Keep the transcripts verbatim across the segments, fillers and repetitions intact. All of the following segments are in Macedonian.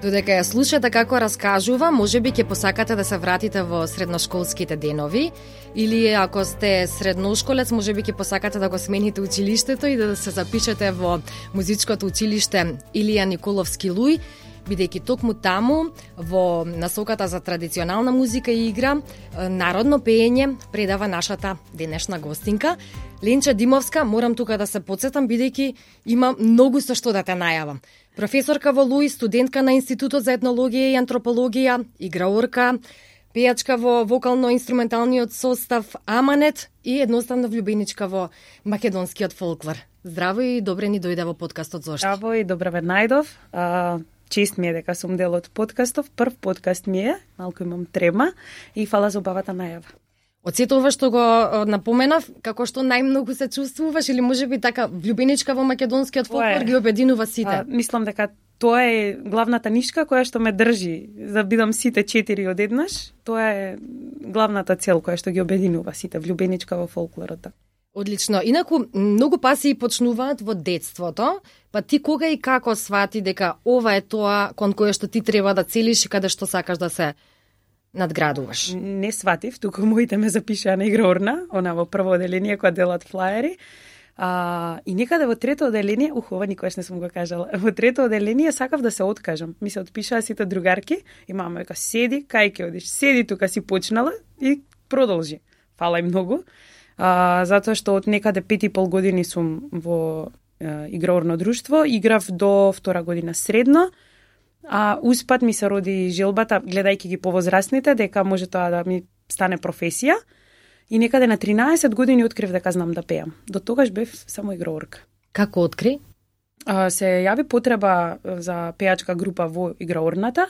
Додека ја слушате како раскажува, можеби ќе посакате да се вратите во средношколските денови, или ако сте средношколец, можеби ќе посакате да го смените училиштето и да се запишете во музичкото училиште Илија Николовски Луј, бидејќи токму таму, во насоката за традиционална музика и игра, народно пеење предава нашата денешна гостинка. Ленча Димовска, морам тука да се потсетам, бидејќи има многу со што да те најавам. Професорка во Луј, студентка на Институтот за етнологија и антропологија, играорка, пејачка во вокално-инструменталниот состав Аманет и едноставно влюбеничка во македонскиот фолклор. Здраво и добре ни дојде во подкастот Зошти. Здраво и добре ве најдов. А, чест ми е дека сум дел од подкастов. Прв подкаст ми е, малку имам трема и фала за убавата најава. Од сето ова што го напоменав, како што најмногу се чувствуваш или можеби така влюбеничка во македонскиот фолклор ги обединува сите? А, мислам дека тоа е главната нишка која што ме држи за да бидам сите четири одеднаш. Тоа е главната цел која што ги обединува сите, влюбеничка во фолклорот. Одлично. Инаку, многу пасии почнуваат во детството, па ти кога и како свати дека ова е тоа кон кое што ти треба да целиш и каде што сакаш да се надградуваш? Не сватив, туку моите ме запишаа на играорна, она во прво оделение која делат флаери. А, и некаде во трето оделение, ух, ова никогаш не сум го кажала, во трето оделение сакав да се откажам. Ми се отпишаа сите другарки и мама века, седи, кај ќе одиш? Седи тука, си почнала и продолжи. Фала и многу. А, затоа што од некаде пет и пол години сум во е, играорно друштво, играв до втора година средно, а успат ми се роди желбата, гледајќи ги повозрастните, дека може тоа да ми стане професија. И некаде на тринаесет години открив дека знам да пеам. До тогаш бев само играорка. Како откри? А, се јави потреба за пеачка група во играорната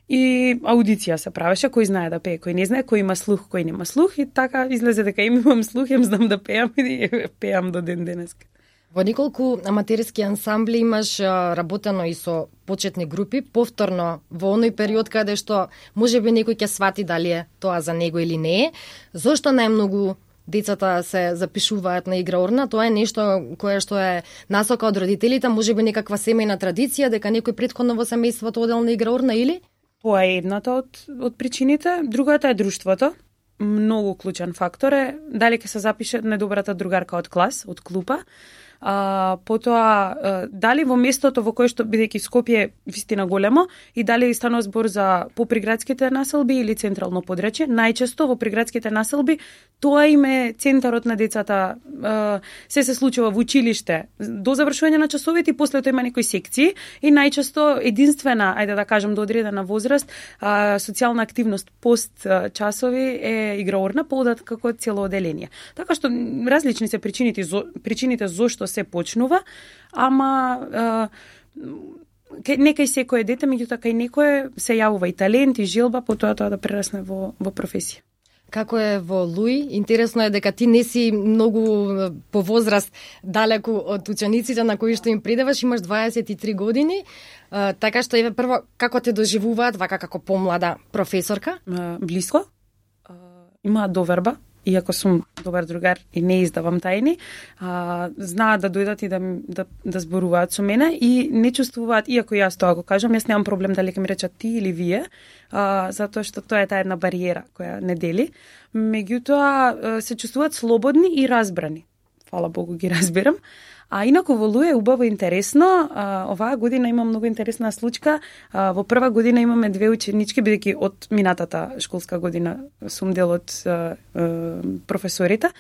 и аудиција се правеше, кој знае да пее, кој не знае, кој има слух, кој нема слух, и така излезе дека им имам слух, им знам да пеам и пеам до ден денеска. Во неколку аматерски ансамбли имаш работено и со почетни групи, повторно во оној период каде што можеби некој ќе свати дали е тоа за него или не е. Зошто најмногу децата се запишуваат на играорна? Тоа е нешто кое што е насока од родителите, можеби некаква семејна традиција, дека некој претходно во семејството одел на играорна или? Тоа е едната од, од причините. Другата е друштвото. Многу клучен фактор е дали ќе се запише најдобрата другарка од клас, од клупа. А, потоа, дали во местото во кое што, бидејќи Скопје вистина големо, и дали станува збор за поприградските населби или централно подречје, најчесто во приградските населби тоа им е центарот на децата, се се случува во училиште до завршување на часовите и после тоа има некои секции и најчесто единствена, ајде да кажам до одредена возраст, социјална активност пост часови е играорна, поодат како цело оделение. Така што различни се причините, причините зошто се почнува, ама е, некај секој дете, меѓутоа кај некој се јавува и талент, и желба, потоа тоа да прерасне во, во професија. Како е во Луј? Интересно е дека ти не си многу по возраст далеку од учениците на кои што им предаваш, имаш дваесет и три години, а, така што еве прво, како те доживуваат вака како помлада професорка? А, блиско, а, има доверба, иако сум добар другар и не издавам тајни, а, знаат да дојдат и да, да, да зборуваат со мене и не чувствуваат, иако јас тоа го кажам, јас немам проблем дали ќе ми речат ти или вие, а, затоа што тоа е таа една бариера која не дели. Меѓутоа се чувствуваат слободни и разбрани. Фала Богу ги разбирам. А инаку во Луј е убаво интересно. А, оваа година има многу интересна случка. А, во прва година имаме две ученички, бидејќи од минатата школска година сум дел од а, а, професорите.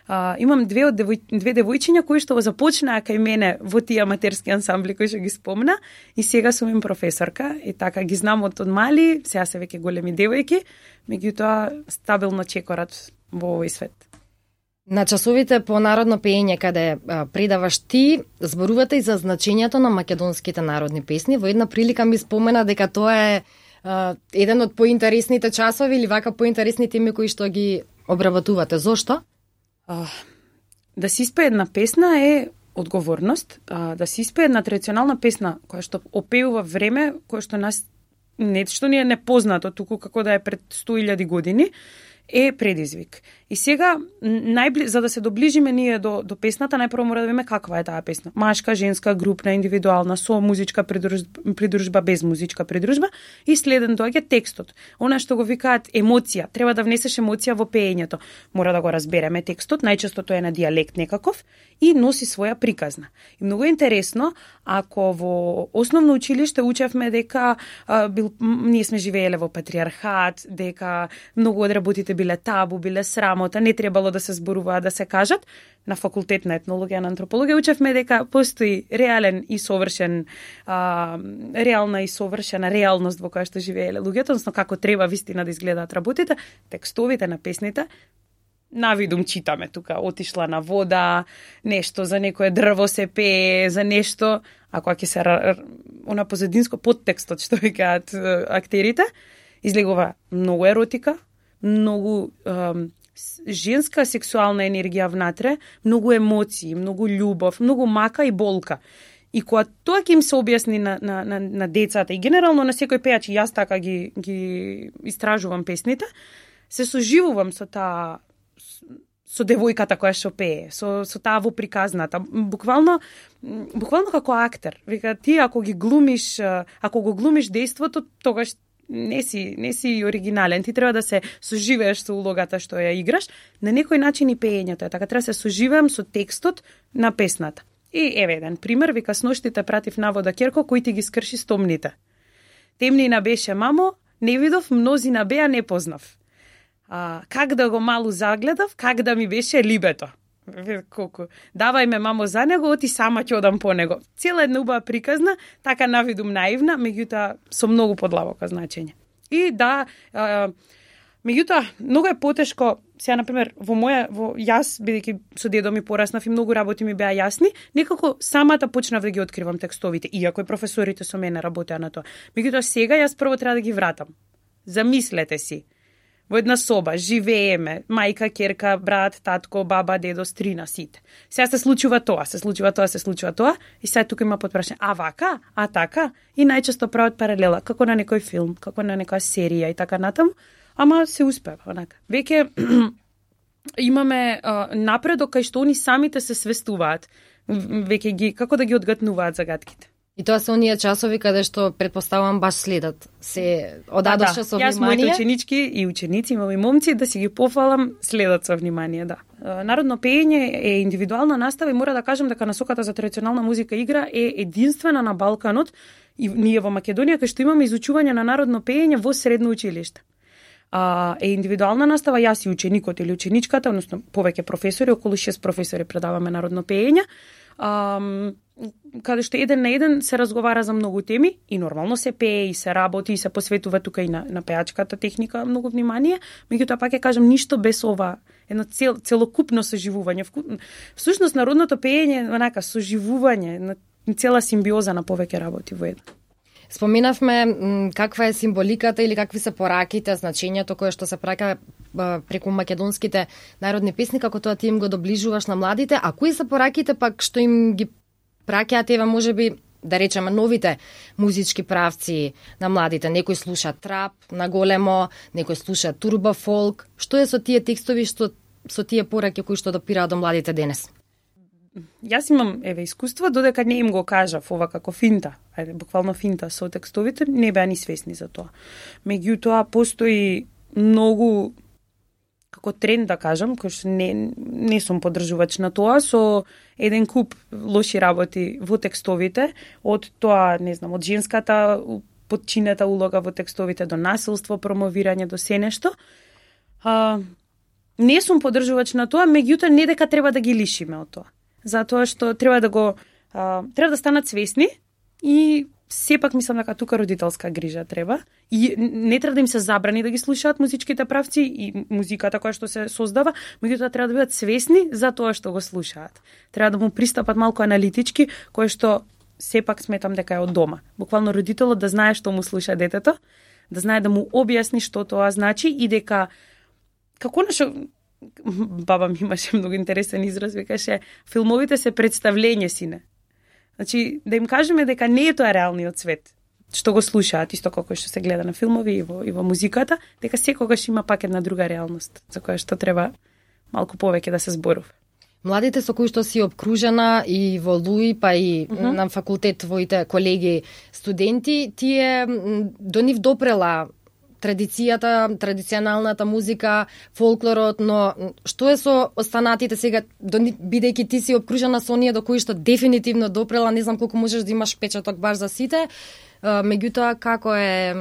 А, имам две од девој, две девојчиња кои што започнаа кај мене во тие аматерски ансамбли кои што ги спомна и сега сум им професорка и така ги знам од, од мали, сега се веќе големи девојки, меѓутоа стабилно чекорат во овој свет. На часовите по народно пеење каде а, предаваш ти, зборувате и за значењето на македонските народни песни. Во една прилика ми спомена дека тоа е а, еден од поинтересните часови или вака поинтересни теми кои што ги обработувате. Зошто? А, да се испее една песна е одговорност. А, да се испее една традиционална песна која што опеува време која што нас не што ни е непознато, туку како да е пред сто илјади години, е предизвик. И сега, најбли... за да се доближиме ние до, до песната, најпрво мора да видиме каква е таа песна. Машка, женска, групна, индивидуална, со музичка придружба, придружба без музичка придружба. И следен доаѓа текстот. Она што го викаат емоција. Треба да внесеш емоција во пеењето. Мора да го разбереме текстот, најчесто тоа е на дијалект некаков, и носи своја приказна. И многу интересно, ако во основно училиште учевме дека а, бил, ние сме живееле во патриархат, дека многу од работите биле табу, биле срамота, не требало да се зборуваат, да се кажат, на факултет на етнологија, на антропологија учевме дека постои реален и совршен, а, реална и совршена реалност во која што живееле луѓето, односно како треба вистина да изгледаат работите, текстовите на песните. Навидум читаме тука, отишла на вода, нешто за некое дрво се пее, за нешто, ако ќе се она позадинско подтекстот што викаат актерите, излегува многу еротика, многу е, женска сексуална енергија внатре, многу емоции, многу љубов, многу мака и болка. И кога тоа ќе им се објасни на, на, на, на децата и генерално на секој пејач, и јас така ги, ги истражувам песните, се соживувам со таа со девојката која што пее, со со таа во приказната, буквално буквално како актер. Вика ти ако ги глумиш, ако го глумиш дејството, тогаш не си не си оригинален, ти треба да се соживееш со улогата што ја играш, на некој начин и пеењето е така, треба да се соживеам со текстот на песната. И еве еден пример, вика сноштите пратив на вода Керко кој ти ги скрши стомните. Темнина беше мамо, не видов, мнозина беа не познав. А, как да го малу загледав, как да ми беше либето. Колку. Давај ме мамо за него, оти сама ќе одам по него. Цела една убава приказна, така навидум наивна, меѓутоа со многу подлабоко значење. И да, а, меѓутоа многу е потешко, сега на пример во моја во јас бидејќи со дедо ми пораснав и многу работи ми беа јасни, некако самата почнав да ги откривам текстовите, иако и професорите со мене работеа на тоа. Меѓутоа сега јас прво треба да ги вратам. Замислете си. Во една соба, живееме, мајка, ќерка, брат, татко, баба, дедо, стрина, сите. Сега се случува тоа, се случува тоа, се случува тоа, и сега тука има подпрашање, а вака, а така, и најчесто прават паралела, како на некој филм, како на некоја серија и така натаму, ама се успева, онака. Веќе имаме а, напредок кај што они самите се свестуваат, веќе ги, како да ги одгатнуваат загадките. И тоа се оние часови каде што предпоставам баш следат. Се одадоше да, со внимание. Јас моите ученички и ученици, имам и момци, да си ги пофалам, следат со внимание, да. Народно пеење е индивидуална настава и мора да кажам дека насоката за традиционална музика игра е единствена на Балканот и ние во Македонија кај што имаме изучување на народно пеење во средно училиште. А, е индивидуална настава, јас и ученикот или ученичката, односно повеќе професори, околу шест професори предаваме народно пеење. Um, каде што еден на еден се разговара за многу теми и нормално се пее и се работи и се посветува тука и на, на пеачката техника многу внимание, меѓутоа пак ќе кажам ништо без ова едно цел, целокупно соживување. Всушност народното пеење е онака соживување, на цела симбиоза на повеќе работи во едно. Споменавме м, каква е символиката или какви се пораките, значењето кое што се праќа преку македонските народни песни, како тоа ти им го доближуваш на младите, а кои се пораките пак што им ги праќаат ева можеби да речеме новите музички правци на младите? Некој слуша трап на големо, некој слуша турбо фолк. Што е со тие текстови, што со тие пораки кои што допираат до младите денес? Јас имам еве искуство, додека не им го кажав ова како финта, ајде буквално финта со текстовите, не беа ни свесни за тоа. Меѓутоа постои многу како тренд да кажам, кој што не не сум поддржувач на тоа, со еден куп лоши работи во текстовите, од тоа, не знам, од женската подчинета улога во текстовите до насилство, промовирање, до се нешто. А, не сум поддржувач на тоа, меѓутоа не дека треба да ги лишиме од тоа. Затоа што треба да го а, треба да станат свесни и сепак мислам дека тука родителска грижа треба и не треба да им се забрани да ги слушаат музичките правци и музиката која што се создава, меѓутоа треба да бидат свесни за тоа што го слушаат. Треба да му пристапат малку аналитички, кој што сепак сметам дека е од дома. Буквално родителот да знае што му слуша детето, да знае да му објасни што тоа значи и дека како нашо баба ми имаше многу интересен израз, викаше филмовите се представлење, сине. Значи, да им кажеме дека не е тоа реалниот свет, што го слушаат, исто како што се гледа на филмови и во, и во музиката, дека секогаш има пак една друга реалност, за која што треба малку повеќе да се зборува. Младите со кои што си обкружена и во Луи, па и uh -huh. на факултет твоите колеги студенти, тие до нив допрела традицијата, традиционалната музика, фолклорот, но што е со останатите сега, бидејќи ти си обкружена со оние до кои што дефинитивно допрела, не знам колку можеш да имаш печаток баш за сите, меѓутоа како е...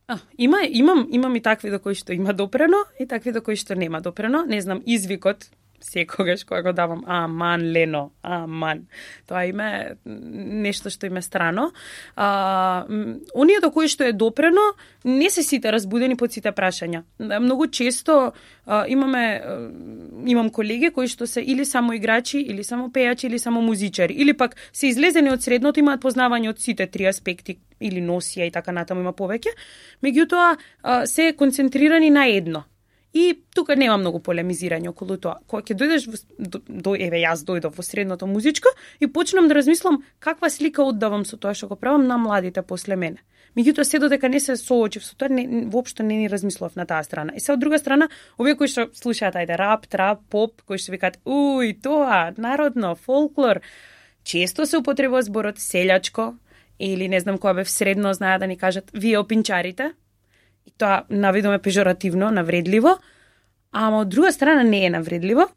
А, има, имам, имам и такви до кои што има допрено и такви до кои што нема допрено. Не знам, извикот, секогаш кога го давам, аман, Лено, аман. Тоа име нешто што име страно. А, оние до кои што е допрено, не се сите разбудени под сите прашања. Многу често а, имаме, а, имам колеги кои што се или само играчи, или само пејачи, или само музичари, или пак се излезени од средното, имаат познавање од сите три аспекти, или носија и така натаму има повеќе. Меѓутоа, а, се концентрирани на едно. И тука нема многу полемизирање околу тоа. Кога ќе дојдеш во, до, до еве јас дојдов во средното музичко и почнам да размислам каква слика оддавам со тоа што го правам на младите после мене. Меѓутоа се додека не се соочив со тоа, не, воопшто не ни размислував на таа страна. И се од друга страна, овие кои што слушаат ајде рап, трап, поп, кои што викаат уј, тоа, народно, фолклор, често се употребува зборот селјачко или не знам кога бев средно, знаат да ни кажат вие опинчарите. И тоа наведоме пежоративно, навредливо, ама од друга страна не е навредливо.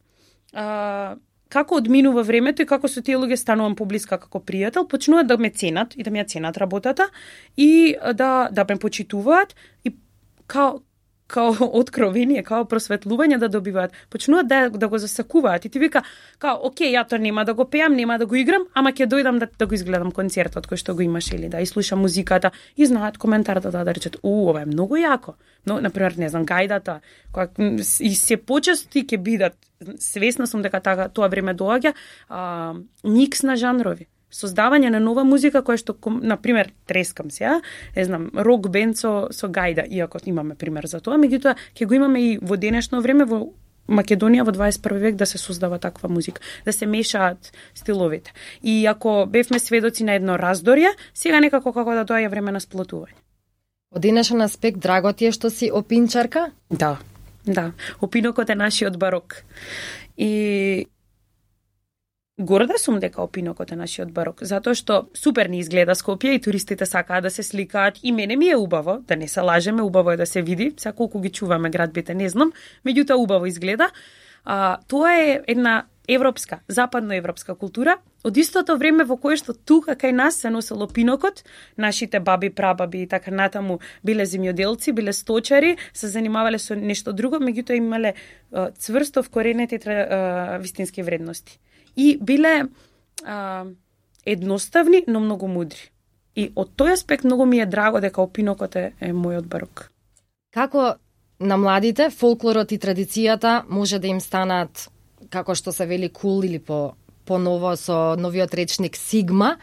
А, како одминува времето и како со тие луѓе станувам поблиска како пријател, почнуваат да ме ценат и да ми ја ценат работата и да да ме почитуваат и као као откровение, као просветлување да добиваат. Почнуваат да, да го засакуваат и ти вика, као, окей, ја тоа нема да го пеам, нема да го играм, ама ќе дојдам да, да го изгледам концертот кој што го имаш или да изслушам музиката и знаат коментарата да, да речат, у, ова е многу јако. Но, например, не знам, гајдата, која и се почести ќе бидат, свесна сум дека така, тоа време доаѓа, а, микс на жанрови. Создавање на нова музика која што, на пример, трескам се, а? Не знам, рок бенд со, со гајда, иако имаме пример за тоа, меѓутоа ќе го имаме и во денешно време во Македонија во дваесет и први век да се создава таква музика, да се мешаат стиловите. И ако бевме сведоци на едно раздорје, сега некако како да доаѓа време на сплотување. Од денешен аспект драго ти е што си опинчарка? Да, да. Опинокот е нашиот барок. И горда сум дека опинокот е нашиот барок, затоа што супер ни изгледа Скопје и туристите сакаат да се сликаат и мене ми е убаво, да не се лажеме, убаво е да се види, сега колку ги чуваме градбите не знам, меѓутоа убаво изгледа. А, тоа е една европска, западноевропска култура, од истото време во кое што тука кај нас се носел опинокот, нашите баби, прабаби и така натаму биле земјоделци, биле сточари, се занимавале со нешто друго, меѓутоа имале а, цврсто вкоренети а, вистински вредности. И биле а, едноставни, но многу мудри. И од тој аспект многу ми е драго дека опинокот е, е мојот барок. Како на младите фолклорот и традицијата може да им станат, како што се вели, кул или по, по ново со новиот речник Сигма,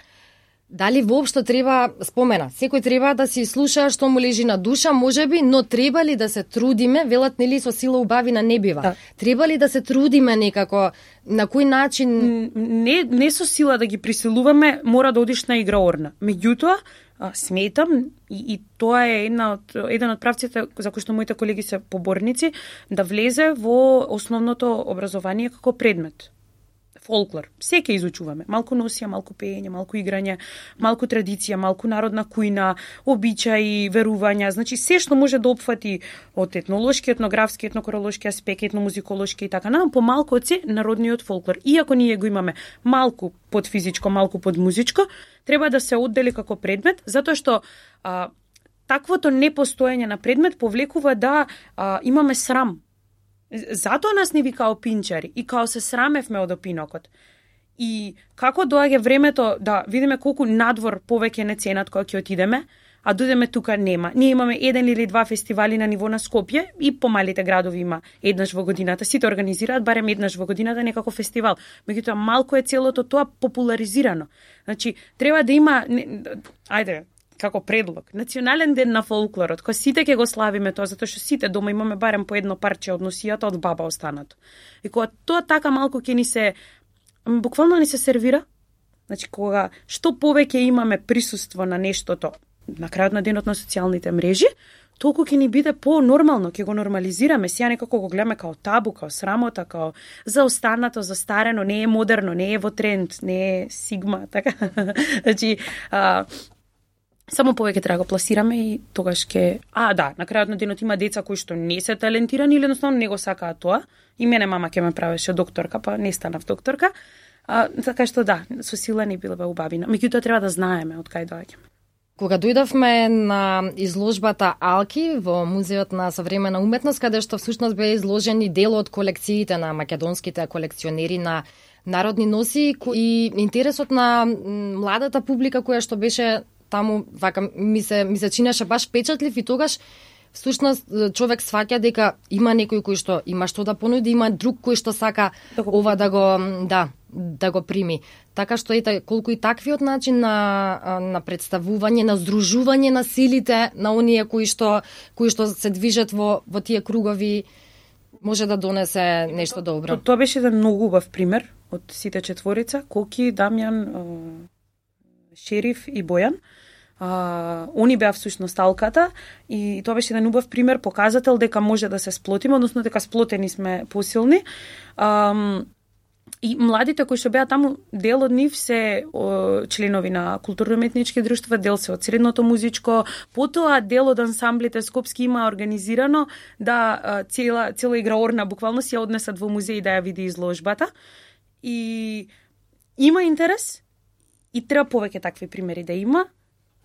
дали воопшто треба, спомена, секој треба да си слуша што му лежи на душа, можеби, но треба ли да се трудиме, велат нели со сила убавина не бива. Да. Треба ли да се трудиме некако, на кој начин? Не, не со сила да ги присилуваме, мора да одиш на играорна. Меѓутоа, сметам и, и тоа е една од, еден од правците за кои што моите колеги се поборници, да влезе во основното образование како предмет. Фолклор. Секе изучуваме. Малку носија, малку пеење, малку играње, малку традиција, малку народна кујна, обичаи, верувања. Значи, се што може да опфати од етнолошки, етнографски, етнокоролошки аспект, етномузиколошки и така, нам помалку од се народниот фолклор. Иако ние го имаме малку под физичко, малку под музичко, треба да се оддели како предмет, затоа што а, таквото непостоење на предмет повлекува да а, имаме срам. Затоа нас не вика опинчари и као се срамевме од опинокот. И како доаѓа времето да видиме колку надвор повеќе не ценат кога ќе отидеме, а дојдеме тука нема. Ние имаме еден или два фестивали на ниво на Скопје и помалите градови има еднаш во годината. Сите организираат барем еднаш во годината некако фестивал. Меѓутоа малку е целото тоа популаризирано. Значи, треба да има, ајде, како предлог, национален ден на фолклорот, кој сите ќе го славиме тоа, затоа што сите дома имаме барем по едно парче од носијата од баба останато. И кога тоа така малку ќе ни се, буквално ни се сервира, значи кога што повеќе имаме присуство на нештото, на крајот на денот на социјалните мрежи, толку ќе ни биде по-нормално, ќе го нормализираме, сега некако го гледаме као табу, као срамота, као заостанато, застарено, не е модерно, не е во тренд, не е сигма, така. Значи, а, само повеќе треба да го пласираме и тогаш ќе... А, да, на крајот на денот има деца кои што не се талентирани или едноставно не го сакаат тоа. И мене мама ќе ме правеше докторка, па не станав докторка. А, така што да, со сила не била убавина. Меѓутоа треба да знаеме од кај доаѓаме. Кога дојдовме на изложбата Алки во Музеот на современа уметност, каде што всушност беа изложени дел од колекциите на македонските колекционери на народни носи и интересот на младата публика која што беше таму, вака ми се ми се чинеше баш впечатлив и тогаш всушност човек сваќа дека има некој кој што има што да понуди, има друг кој што сака да го... ова да го да да го прими. Така што ете колку и таквиот начин на на представување, на здружување на силите на оние кои што кои што се движат во во тие кругови може да донесе нешто добро. Тоа беше еден многу убав пример од сите четворица, Коки, Дамјан, Шериф и Бојан. Uh, они беа всушност Алката и тоа беше еден убав пример, показател дека може да се сплотиме, односно дека сплотени сме посилни. Um, и младите кои што беа таму, дел од нив се о, членови на културно-уметнички друштва, дел се од средното музичко, потоа дел од ансамблите скопски има организирано да uh, цела цела играорна буквално си ја однесат во музеј да ја види изложбата. И има интерес и треба повеќе такви примери да има.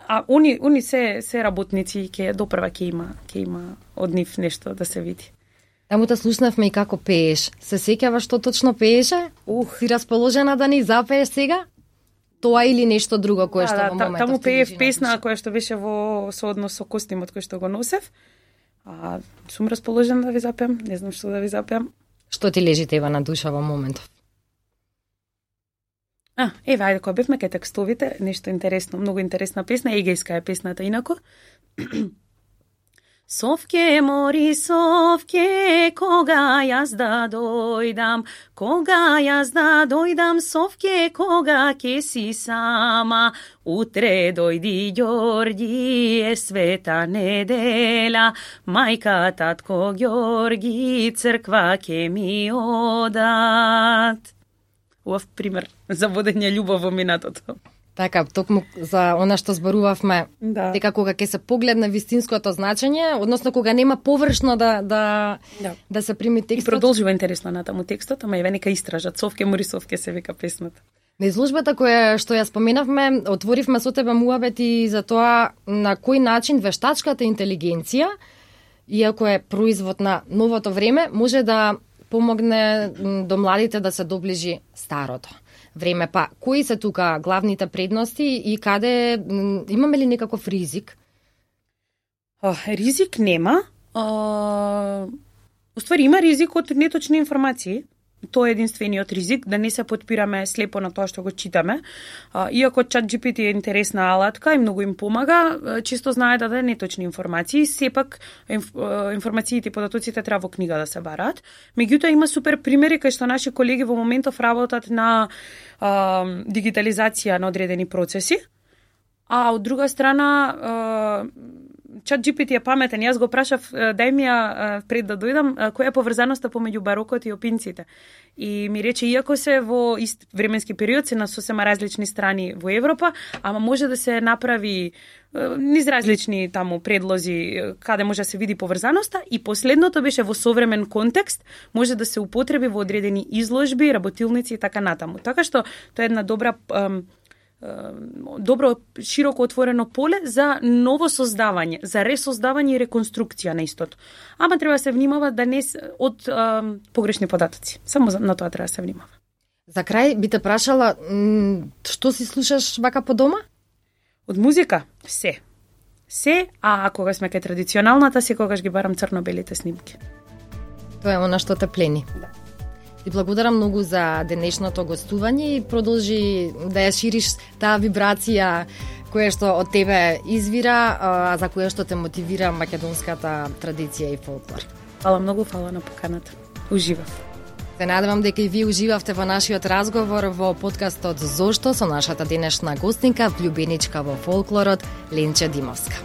А они они се се работници ќе допрва ќе има ќе има од нив нешто да се види. Таму те слушнавме и како пееш. Се сеќаваш што точно пееше? Ух, си расположена да ни запееш сега? Тоа или нешто друго кое да, што да, во моментот? Таму пеев песна која што беше во сооднос со костимот кој што го носев. А сум расположена да ви запеам, не знам што да ви запеам. Што ти лежи тева на душа во моментов? А, еве, ајде, кога бевме кај текстовите, нешто интересно, многу интересна песна, егејска е песната инако. Совке, мори, совке, кога јас да дојдам, кога јас да дојдам, совке, кога ке си сама, утре дојди Ѓорѓи, е света недела, мајка, татко Ѓорѓи, црква ке ми одат. Убав пример за водење љубов во минатото. Така, токму за она што зборувавме, да. дека кога ќе се погледне вистинското значење, односно кога нема површно да да да, да се прими текстот. И продолжува интересно натаму текстот, ама еве нека истражат. Совке, мори, совке се вика песната. На изложбата која што ја споменавме, отворивме со тебе муабет и за тоа на кој начин вештачката интелигенција, иако е производ на новото време, може да помогне до младите да се доближи старото време. Па, кои се тука главните предности и каде имаме ли некаков ризик? О, ризик нема. О, уствари има ризик од неточни информации. Тоа е единствениот ризик, да не се потпираме слепо на тоа што го читаме. А, иако ChatGPT е интересна алатка и многу им помага, често знае да даде неточни информации, сепак инф, информациите и податоците треба во книга да се бараат. Меѓутоа има супер примери кај што наши колеги во моментов работат на а, дигитализација на одредени процеси, а од друга страна а, ChatGPT е паметен. Јас го прашав, дај ми ја пред да дојдам, која е поврзаноста помеѓу барокот и опинците. И ми рече, иако се во ист временски период, се на сосема различни страни во Европа, ама може да се направи низ различни таму предлози каде може да се види поврзаноста и последното беше во современ контекст, може да се употреби во одредени изложби, работилници и така натаму. Така што тоа е една добра добро, широко отворено поле за ново создавање, за ресоздавање и реконструкција на истото. Ама треба да се внимава да не од а, погрешни податоци. Само на тоа треба да се внимава. За крај би те прашала, што си слушаш вака по дома? Од музика? Се. Се, а кога сме кај традиционалната, секогаш ги барам црно-белите снимки. Тоа е она што те плени. Да. Ти благодарам многу за денешното гостување и продолжи да ја шириш таа вибрација која што од тебе извира, а за која што те мотивира македонската традиција и фолклор. Фала многу, фала на поканата. Уживав. Се надевам дека и вие уживавте во нашиот разговор во подкастот Зошто со нашата денешна гостинка, влюбеничка во фолклорот Ленче Димовска.